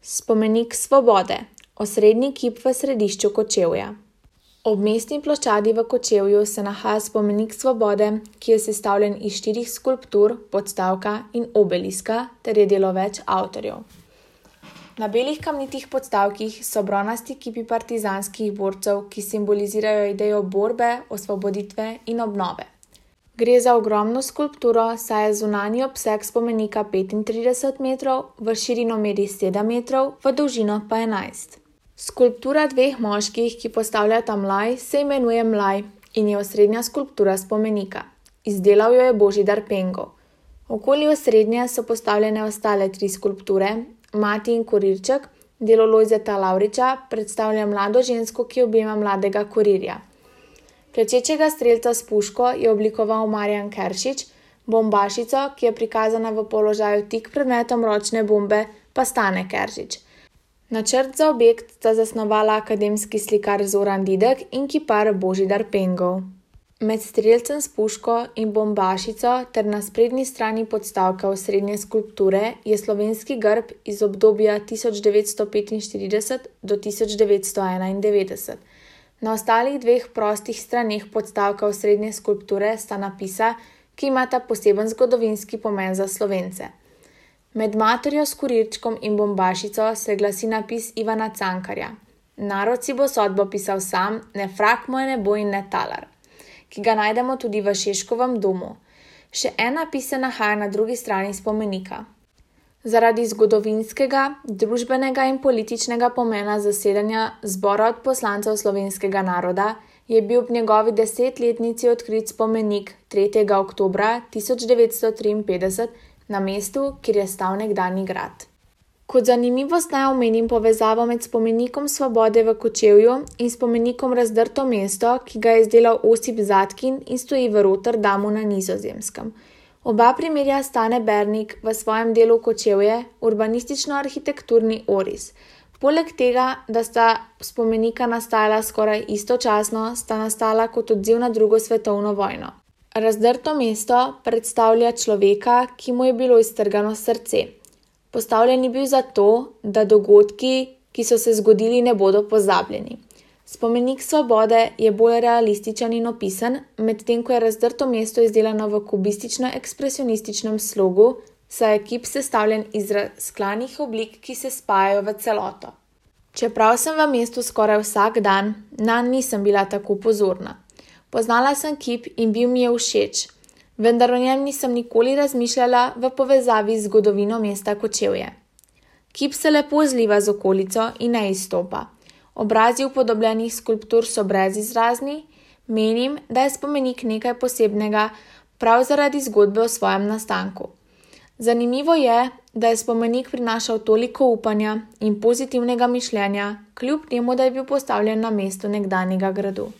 Spomenik svobode, osrednji kip v središču Kočevja. Ob mestni ploščadi v Kočevju se nahaja spomenik svobode, ki je sestavljen iz 4 skulptur, podstavka in obeliska ter je delo več avtorjev. Na belih kamnitih podstavkih so bronasti kipi partizanskih borcev, ki simbolizirajo idejo borbe, osvoboditve in obnove. Gre za ogromno skulpturo, saj je zunanji obseg spomenika 35 metrov, v širino meri 7 metrov, v dolžino pa 11. Skulptura 2 moških, ki postavljata mlaj, se imenuje Mlaj in je osrednja skulptura spomenika. Izdelal jo je Božidar Pengo. Okoli osrednje so postavljene ostale 3 skulpture. Mati in Kurirček, delo Lojzeta Lavriča, predstavlja mlado žensko, ki objema mladega kurirja. Klečečega strelca s puško je oblikoval Marjan Keršič, bombašico, ki je prikazana v položaju tik pred metom ročne bombe, pa Stane Keršič. Načrt za objekt sta zasnovala akademski slikar Zoran Didek in kipar Božidar Pengov. Med strelcem s puško in bombašico ter na sprednji strani podstavka osrednje skulpture je slovenski grb iz obdobja 1945 do 1991. Na ostalih 2 prostih straneh podstavka osrednje skulpture sta napisa, ki imata poseben zgodovinski pomen za Slovence. Med materjo s kurirčkom in bombašico se glasi napis Ivana Cankarja: Narod si bo sodbo pisal sam, ne frak moj ne bo in ne talar, ki ga najdemo tudi v Šeškovem domu. Še en napis se nahaja na drugi strani spomenika. Zaradi zgodovinskega, družbenega in političnega pomena zasedanja Zbora odposlancev slovenskega naroda je bil ob njegovi 10-letnici odkrit spomenik 3. oktobra 1953 na mestu, kjer je stal nekdanji grad. Kot zanimivost naj omenim povezavo med spomenikom svobode v Kočevju in spomenikom Razdrto mesto, ki ga je izdelal Osip Zadkin in stoji v Rotterdamu na Nizozemskem. Oba primerja Stane Bernik v svojem delu Kočevje, urbanistično-arhitekturni oris. Poleg tega, da sta spomenika nastajala skoraj istočasno, sta nastala kot odziv na 2. svetovno vojno. Razdrto mesto predstavlja človeka, ki mu je bilo iztrgano srce. Postavljen je bil zato, da dogodki, ki so se zgodili, ne bodo pozabljeni. Spomenik svobode je bolj realističen in opisen, medtem ko je Razdrto mesto izdelano v kubistično-ekspresionističnem slogu, saj je kip sestavljen iz razklanih oblik, ki se spajajo v celoto. Čeprav sem v mestu skoraj vsak dan, nanj nisem bila tako pozorna. Poznala sem kip in bil mi je všeč, vendar o njem nisem nikoli razmišljala v povezavi z zgodovino mesta Kočevje. Kip se lepo zliva z okolico in ne izstopa. Obrazi upodobljenih skulptur so brezizrazni, menim, da je spomenik nekaj posebnega prav zaradi zgodbe o svojem nastanku. Zanimivo je, da je spomenik prinašal toliko upanja in pozitivnega mišljenja, kljub temu, da je bil postavljen na mestu nekdanjega gradu.